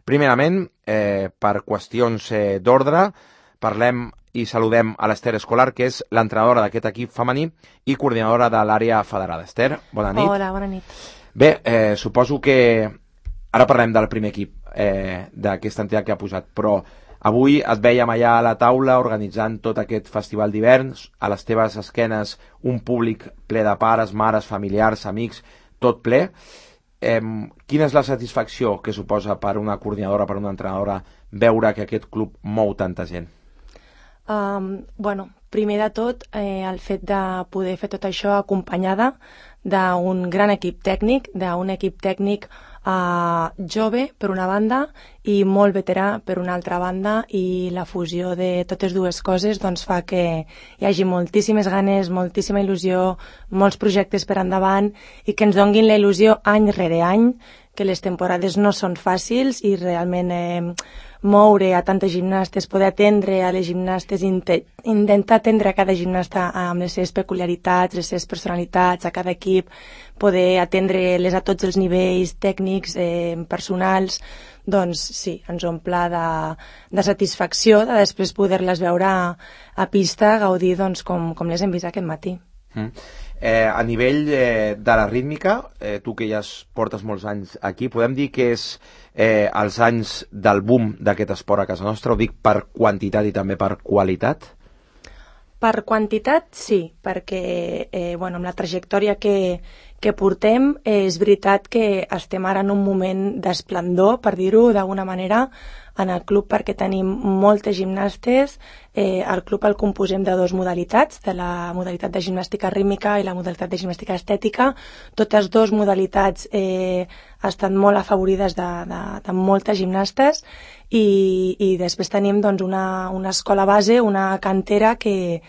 Primerament, per qüestions d'ordre, parlem i saludem a l'Ester Escolar, que és l'entrenadora d'aquest equip femení i coordinadora de l'àrea federada. Ester, bona nit. Hola, bona nit. Bé, suposo que ara parlem del primer equip d'aquesta entitat que ha posat, però avui et vèiem allà a la taula organitzant tot aquest festival d'hivern, a les teves esquenes un públic ple de pares, mares, familiars, amics, tot ple. Quina és la satisfacció que suposa per una coordinadora, per una entrenadora, veure que aquest club mou tanta gent? Bueno, primer de tot, el fet de poder fer tot això acompanyada d'un gran equip tècnic, jove per una banda i molt veterà per una altra banda, i la fusió de totes dues coses doncs fa que hi hagi moltíssimes ganes, moltíssima il·lusió, molts projectes per endavant i que ens donguin la il·lusió any rere any, que les temporades no són fàcils i realment moure a tantes gimnastes, poder atendre a les gimnastes, intentar atendre a cada gimnasta amb les seves peculiaritats, les seves personalitats, a cada equip, poder atendre-les a tots els nivells tècnics, personals, doncs sí, ens omple de satisfacció de després poder-les veure a pista, gaudir doncs, com les hem vist aquest matí. A nivell de la rítmica, tu que ja portes molts anys aquí, podem dir que és els anys del boom d'aquest esport a casa nostra, ho dic per quantitat i també per qualitat? Per quantitat, sí, perquè amb la trajectòria que portem, és veritat que estem ara en un moment d'esplendor, per dir-ho d'alguna manera, en el club, perquè tenim moltes gimnastes. El club el composem de dues modalitats, de la modalitat de gimnàstica rítmica i la modalitat de gimnàstica estètica. Totes dues modalitats estan molt afavorides de moltes gimnastes i després tenim doncs, una escola base, una cantera que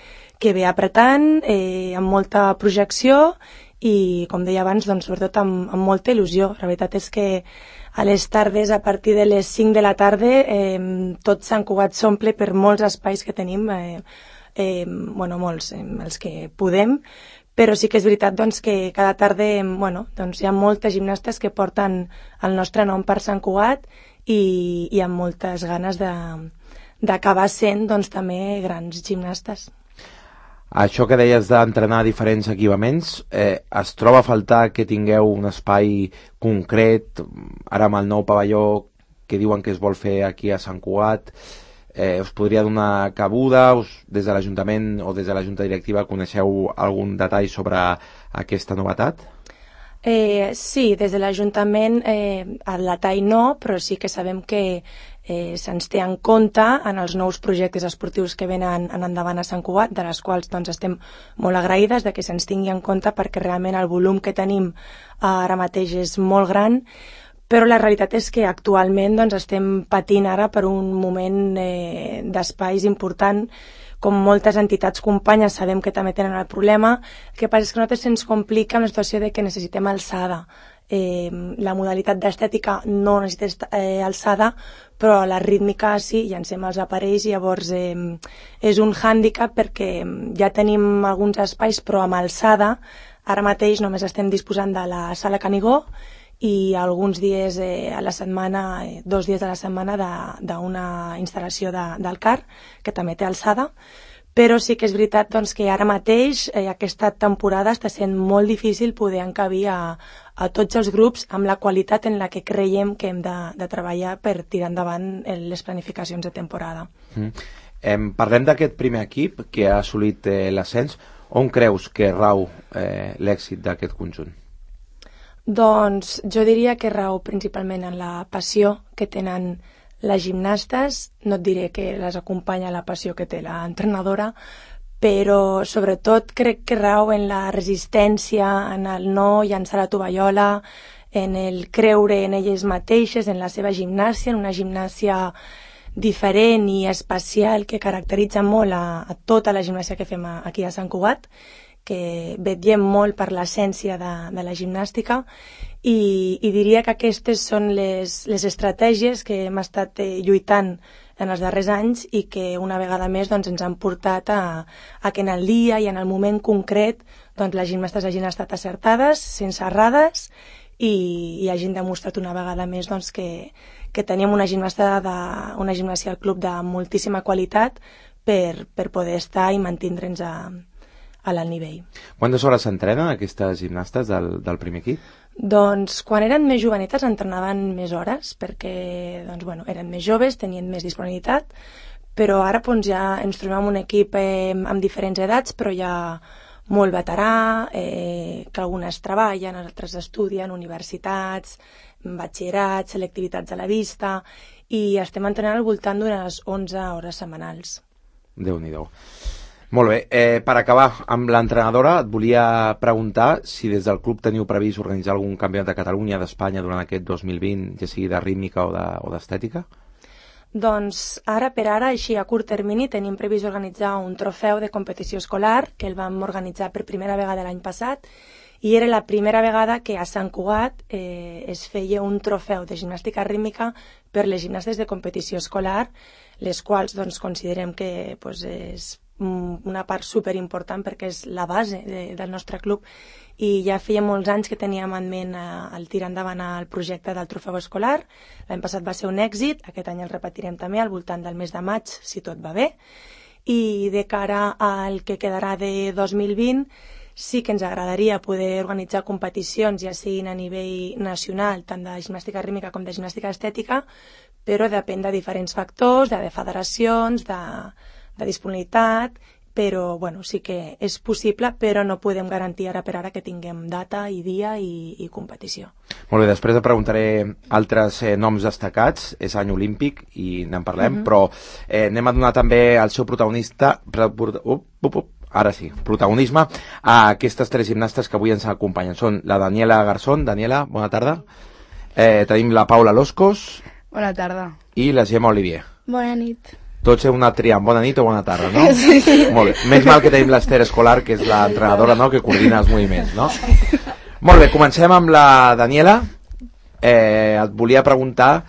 ve apretant, amb molta projecció i, com deia abans, doncs, sobretot amb molta il·lusió. La veritat és que a les tardes, a partir de les 5 de la tarda, tot Sant Cugat s'omple per molts espais que tenim, molts, els que podem, però sí que és veritat doncs, que cada tarda doncs, hi ha moltes gimnastes que porten el nostre nom per Sant Cugat i amb moltes ganes d'acabar sent doncs, també grans gimnastes. Això que deies d'entrenar diferents equipaments, es troba a faltar que tingueu un espai concret, ara amb el nou pavelló que diuen que es vol fer aquí a Sant Cugat, us podria donar cabuda, des de l'Ajuntament o des de la Junta Directiva coneixeu algun detall sobre aquesta novetat? Sí, des de l'Ajuntament el detall no, però sí que sabem que se'ns té en compte en els nous projectes esportius que venen en endavant a Sant Cugat, de les quals doncs, estem molt agraïdes de que se'ns tingui en compte, perquè realment el volum que tenim ara mateix és molt gran, però la realitat és que actualment doncs, estem patint ara per un moment d'espais important. Com moltes entitats companyes sabem que també tenen el problema. El que passa és que a nosaltres se'ns complica una situació de que necessitem alçada. La modalitat d'estètica no necessita alçada, però la rítmica sí, llancem els aparells i llavors és un hàndicap perquè ja tenim alguns espais, però amb alçada ara mateix només estem disposant de la sala Canigó i alguns dies a la setmana, 2 dies a la setmana d'una instal·lació del CAR, que també té alçada, però sí que és veritat doncs, que ara mateix, aquesta temporada, està sent molt difícil poder encabir a tots els grups amb la qualitat en la que creiem que hem de treballar per tirar endavant les planificacions de temporada. Parlem d'aquest primer equip que ha assolit l'ascens. On creus que rau l'èxit d'aquest conjunt? Doncs jo diria que rau principalment en la passió que tenen les gimnastes. No et diré que les acompanya la passió que té l'entrenadora, però sobretot crec que rau en la resistència, en el no llançar la tovallola, en el creure en elles mateixes, en la seva gimnàsia, en una gimnàsia diferent i especial que caracteritza molt a tota la gimnàsia que fem aquí a Sant Cugat, que vetllem molt per l'essència de la gimnàstica i diria que aquestes són les estratègies que hem estat lluitant en els darrers anys i que una vegada més doncs, ens han portat a que en el dia i en el moment concret doncs, les gimnastes hagin estat acertades, sense errades i hagin demostrat una vegada més doncs, que teníem una gimnàsia al club de moltíssima qualitat per poder estar i mantindre'ns a l'alt nivell. Quantes hores s'entrenen aquestes gimnastes del primer equip? Doncs quan eren més jovenetes entrenaven més hores perquè eren més joves, tenien més disponibilitat, però ara ja ens trobem en un equip amb diferents edats, però hi ha molt veterà, que algunes treballen, altres estudien, universitats, batxillerats, selectivitats a la vista, i estem entrenant al voltant d'unes 11 hores setmanals. Déu-n'hi-do. Molt bé, per acabar amb l'entrenadora, et volia preguntar si des del club teniu previst organitzar algun campionat de Catalunya, d'Espanya, durant aquest 2020, ja sigui de rítmica o d'estètica? Doncs ara per ara, així a curt termini, tenim previst organitzar un trofeu de competició escolar que el vam organitzar per primera vegada l'any passat i era la primera vegada que a Sant Cugat es feia un trofeu de gimnàstica rítmica per les gimnastes de competició escolar, les quals considerem que és una part superimportant perquè és la base del nostre club i ja feia molts anys que teníem en ment el tirar endavant el projecte del trofeu escolar. L'any passat va ser un èxit, aquest any el repetirem també al voltant del mes de maig, si tot va bé, i de cara al que quedarà de 2020 sí que ens agradaria poder organitzar competicions, ja siguin a nivell nacional, tant de gimnàstica rítmica com de gimnàstica estètica, però depèn de diferents factors, de federacions, de disponibilitat, però sí que és possible, però no podem garantir ara per ara que tinguem data i dia i competició. Molt bé, després et preguntaré altres noms destacats, és any olímpic i n'en parlem, però anem a donar també al seu protagonista, ara sí, protagonisme a aquestes tres gimnastes que avui ens acompanyen. Són la Daniela Garzón. Daniela, bona tarda. Tenim la Paula Loscos. Bona tarda. I la Gemma Olivier. Bona nit. Tots heu anat triant bona nit o bona tarda, no? Sí. Molt bé. Més mal que tenim l'Ester Escolar, que és l'entrenadora, no?, que coordina els moviments, no? Molt bé, comencem amb la Daniela. Et volia preguntar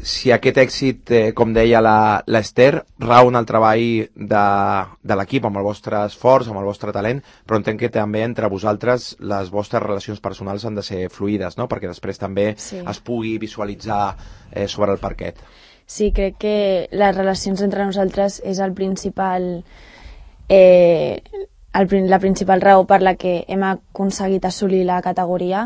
si aquest èxit, com deia l'Ester, rau en el treball de l'equip, amb el vostre esforç, amb el vostre talent, però entenc que també entre vosaltres les vostres relacions personals han de ser fluides, no?, perquè després també es pugui visualitzar sobre el parquet. Sí, crec que les relacions entre nosaltres és el principal, la principal raó per la que hem aconseguit assolir la categoria,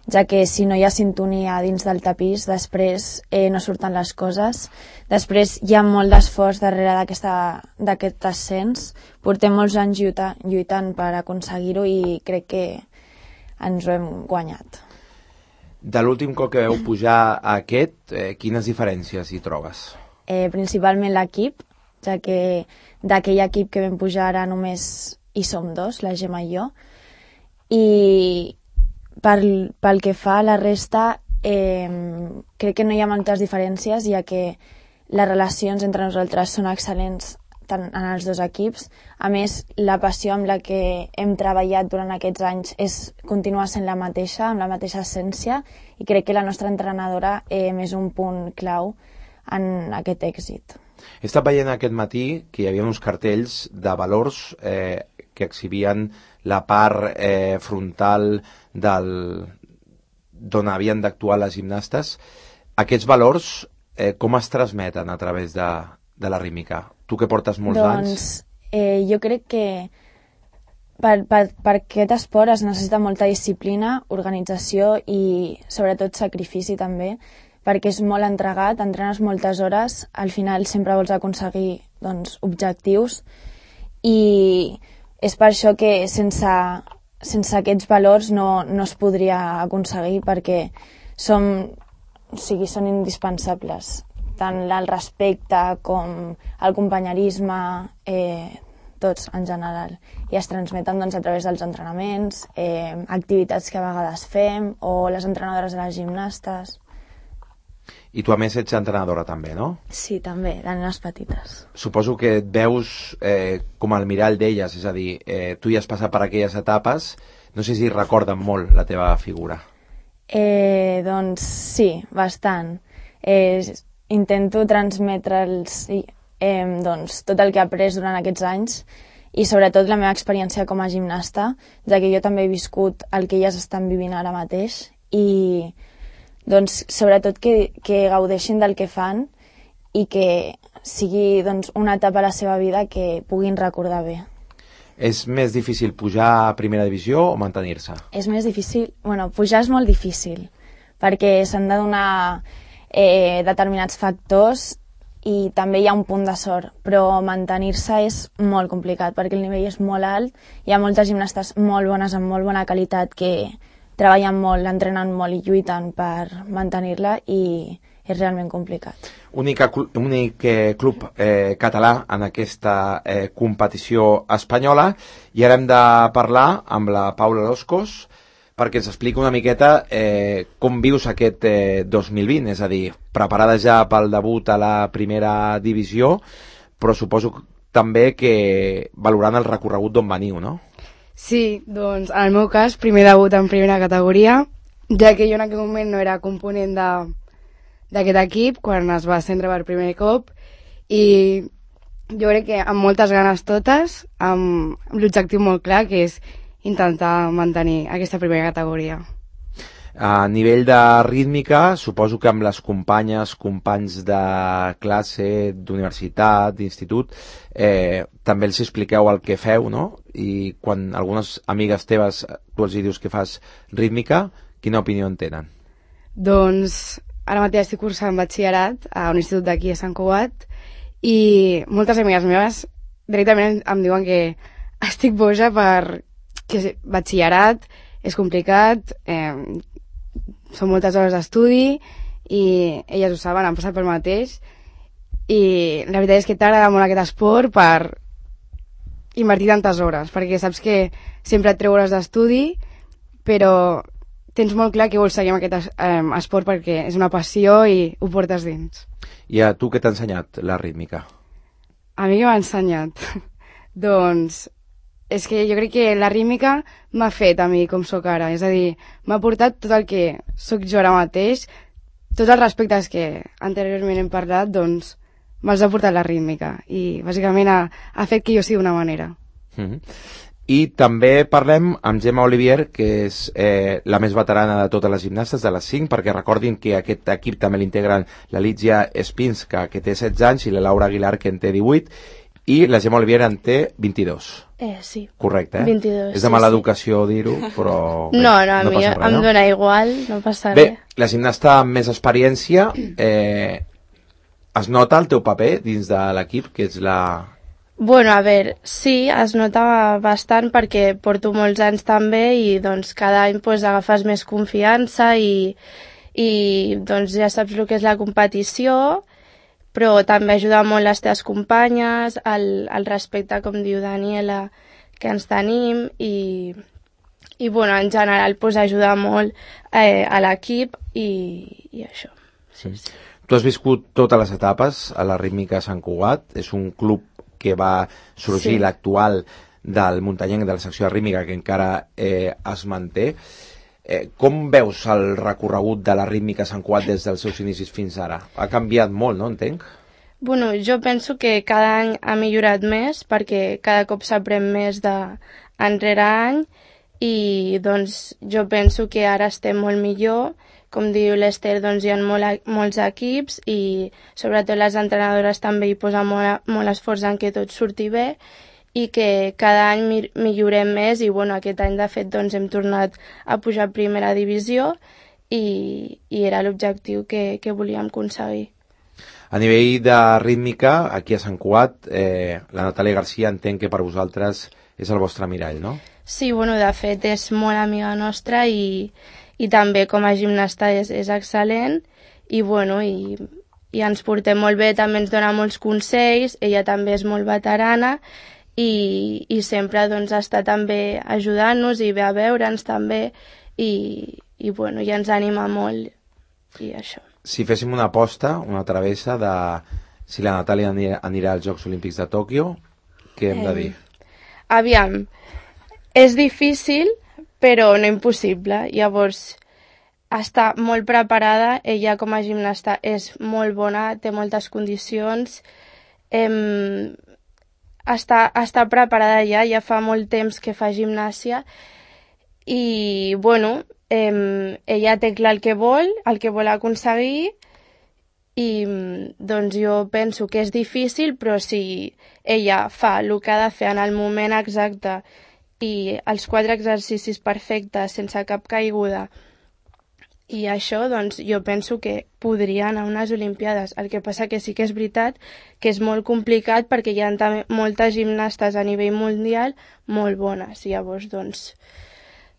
ja que si no hi ha sintonia dins del tapís, després no surten les coses. Després hi ha molt d'esforç darrere d'aquest ascens. Portem molts anys lluitant per aconseguir-ho i crec que ens ho hem guanyat. De l'últim cop que veu pujar a aquest, quines diferències hi trobes? Principalment l'equip, ja que d'aquell equip que vam pujar ara només hi som dos, la Gemma i jo, i pel que fa a la resta, crec que no hi ha moltes diferències, ja que les relacions entre nosaltres són excel·lents tant en els dos equips. A més, la passió amb la que hem treballat durant aquests anys continua sent la mateixa, amb la mateixa essència, i crec que la nostra entrenadora és un punt clau en aquest èxit. He estat veient aquest matí que hi havia uns cartells de valors que exhibien la part frontal d'on havien d'actuar les gimnastes. Aquests valors, com es transmeten a través de la rítmica? Tu que portes molts anys. Jo crec que per aquest esport es necessita molta disciplina, organització i sobretot sacrifici també, perquè és molt entregat, entrenes moltes hores, al final sempre vols aconseguir objectius i és per això que sense aquests valors no es podria aconseguir, perquè són indispensables. Tant el respecte com el companyerisme, tots en general. I es transmeten a través dels entrenaments, activitats que a vegades fem, o les entrenadores de les gimnastes. I tu a més ets entrenadora també, no? Sí, també, de nenes petites. Suposo que et veus com el mirall d'elles, és a dir, tu ja has passat per aquelles etapes, no sé si recorden molt la teva figura. Doncs sí, bastant. Intento transmetre'ls tot el que he après durant aquests anys i sobretot la meva experiència com a gimnasta, ja que jo també he viscut el que elles estan vivint ara mateix i doncs, sobretot que gaudeixin del que fan i que sigui doncs, una etapa a la seva vida que puguin recordar bé. És més difícil pujar a primera divisió o mantenir-se? És més difícil, pujar és molt difícil, perquè s'han de donar determinats factors i també hi ha un punt de sort, però mantenir-se és molt complicat perquè el nivell és molt alt, hi ha moltes gimnastes molt bones, amb molt bona qualitat, que treballen molt, entrenen molt i lluiten per mantenir-la i és realment complicat. Únic club català en aquesta competició espanyola, i ara hem de parlar amb la Paula Loscos perquè ens explica una miqueta com vius aquest 2020, és a dir, preparada ja pel debut a la primera divisió, però suposo també que valorant el recorregut d'on veniu, no? Sí, doncs en el meu cas, primer debut en primera categoria, ja que jo en aquell moment no era component d'aquest equip quan es va ascendre per primer cop, i jo crec que amb moltes ganes totes, amb l'objectiu molt clar, que és intentar mantenir aquesta primera categoria. A nivell de rítmica, suposo que amb les companys de classe, d'universitat, d'institut, també els expliqueu el que feu, no? I quan algunes amigues teves tu els dius que fas rítmica, quina opinió en tenen? Doncs ara mateix estic cursant batxillerat a un institut d'aquí a Sant Cugat i moltes amigues meves directament em diuen que estic boja que batxillerat és complicat, són moltes hores d'estudi i elles ho saben, han passat pel mateix, i la veritat és que t'agrada molt aquest esport per invertir tantes hores, perquè saps que sempre et treu hores d'estudi, però tens molt clar que vols seguir amb aquest esport perquè és una passió i ho portes dins. I a tu què t'ha ensenyat la rítmica? A mi què m'ha ensenyat? Doncs és que jo crec que la rítmica m'ha fet a mi com sóc ara, és a dir, m'ha portat tot el que sóc jo ara mateix, tots els respectes que anteriorment hem parlat, doncs me'ls ha portat la rítmica i bàsicament ha fet que jo sigui d'una manera. I també parlem amb Gemma Olivier, que és la més veterana de totes les gimnastes, de les 5, perquè recordin que aquest equip també l'integren la Lídia Espinska, que té 16 anys, i la Laura Aguilar, que en té 18, i la Gemma Olivier en té 22. Sí. Correcte, 22. És de mala educació dir-ho, però... Bé, no, a mi em dóna igual, no passa res. Bé, la gimnasta amb més experiència, es nota el teu paper dins de l'equip, que és la... Bueno, a veure, sí, es nota bastant perquè porto molts anys també i doncs cada any pues, agafes més confiança i doncs ja saps el que és la competició, però també ajuda molt les teves companyes, el respecte, com diu Daniela, que ens tenim i bueno, en general pues, ajuda molt a l'equip i això. Sí. Tu has viscut totes les etapes a la Rítmica Sant Cugat, és un club que va sorgir, sí, l'actual del muntanyenc de la secció de rítmica, que encara es manté. Com veus el recorregut de la Rítmica Sant Cugat des dels seus inicis fins ara? Ha canviat molt, no, entenc? Bueno, jo penso que cada any ha millorat més perquè cada cop s'aprèn més d'enrere any i doncs jo penso que ara estem molt millor. Com diu l'Ester, doncs hi ha molts equips i sobretot les entrenadores també hi posen molt esforç en que tot surti bé i que cada any millorem més i bueno, aquest any de fet doncs, hem tornat a pujar a primera divisió i era l'objectiu que volíem aconseguir. A nivell de rítmica, aquí a Sant Cugat, la Natàlia Garcia entenc que per vosaltres és el vostre mirall, no? Sí, bueno, de fet és molt amiga nostra i també com a gimnasta és excel·lent i bueno, i ens portem molt bé, també ens dona molts consells, ella també és molt veterana i sempre doncs, està també ajudant-nos i ve a veure'ns també i bueno, ja ens anima molt i això. Si féssim una aposta, una travessa de si la Natàlia anirà als Jocs Olímpics de Tòquio, què hem de dir? Aviam, és difícil però no impossible. Llavors, està molt preparada, ella com a gimnasta és molt bona, té moltes condicions, està preparada ja fa molt temps que fa gimnàsia i, bueno, ella té clar el que vol aconseguir, i doncs jo penso que és difícil, però si ella fa el que ha de fer en el moment exacte i els 4 exercicis perfectes sense cap caiguda i això, doncs jo penso que podria anar a unes Olimpiades. El que passa que sí que és veritat que és molt complicat perquè hi ha també moltes gimnastes a nivell mundial molt bones. Llavors, doncs,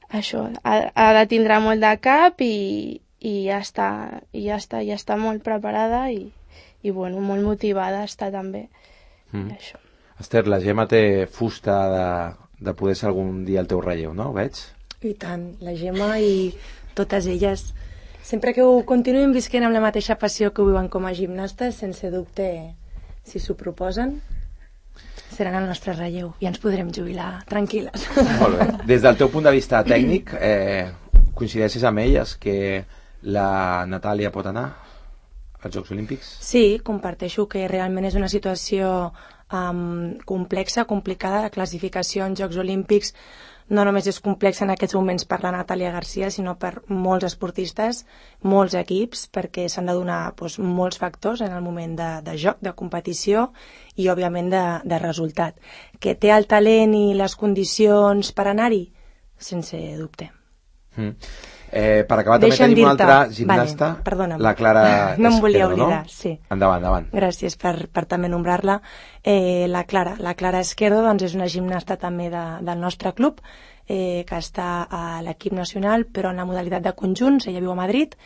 això, ha de tindre molt de cap i ja està molt preparada i bueno, molt motivada està també. Això. Esther, la Gemma té fusta de poder ser algun dia el teu relleu, no? Ho veig? I tant, la Gemma i totes elles, sempre que ho continuïn visquent amb la mateixa passió que ho viuen com a gimnastes, sense dubte, si s'ho proposen, seran el nostre relleu i ens podrem jubilar tranquil·les. Molt bé. Des del teu punt de vista tècnic, coincideixes amb elles que la Natàlia pot anar als Jocs Olímpics? Sí, comparteixo que realment és una situació complexa, complicada. La classificació en Jocs Olímpics no només és complexa en aquests moments per la Natàlia Garcia, sinó per molts esportistes, molts equips, perquè s'han de donar molts factors en el moment de joc, de competició i, òbviament, de resultat. Que té el talent i les condicions per anar-hi? Sense dubte. Per acabar també tenim una altra gimnasta, perdona'm, la Clara Esquerdo, no em volia oblidar, no? Sí. Endavant. Gràcies per també nombrar-la. La Clara Esquerdo doncs, és una gimnasta també del nostre club, que està a l'equip nacional, però en la modalitat de conjunts. Ella viu a Madrid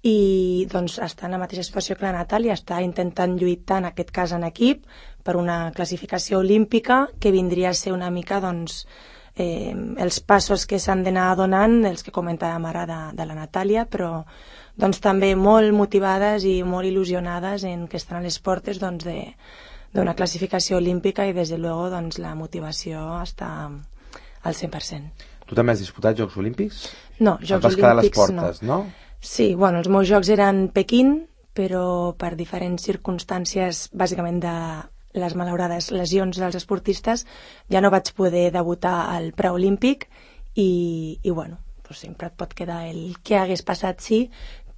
i doncs, està en la mateixa situació que la Natàlia, està intentant lluitar, en aquest cas en equip, per una classificació olímpica que vindria a ser una mica doncs, els passos que s'han d'anar donant, els que comentàvem ara de la Natàlia, però doncs, també molt motivades i molt il·lusionades en que estan a les portes doncs, d'una classificació olímpica i, des de luego, doncs, la motivació està al 100%. Tu també has disputat Jocs Olímpics? No, Jocs Olímpics quedar a les portes, no. Sí, bueno, els meus jocs eren Pequín, però per diferents circumstàncies, bàsicament de les malaurades lesions dels esportistes, ja no vaig poder debutar al preolímpic i bueno, doncs sempre et pot quedar el que hagués passat, sí,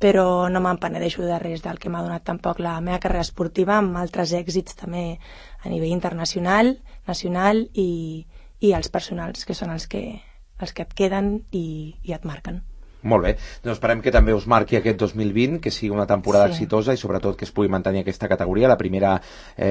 però no me'n penedeixo de res del que m'ha donat tampoc la meva carrera esportiva, amb altres èxits també a nivell internacional, nacional i els personals, que són els que et queden i et marquen. Molt bé, doncs esperem que també us marqui aquest 2020, que sigui una temporada exitosa i sobretot que es pugui mantenir aquesta categoria, la primera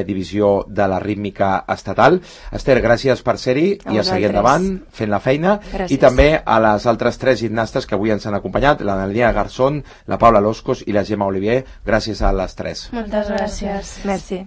divisió de la rítmica estatal. Esther, gràcies per ser-hi i a seguir endavant fent la feina. Gràcies. I també a les altres 3 gimnastes que avui ens han acompanyat, la Nalina Garzón, la Paula Loscos i la Gemma Olivier. Gràcies a les 3. Moltes gràcies. Merci.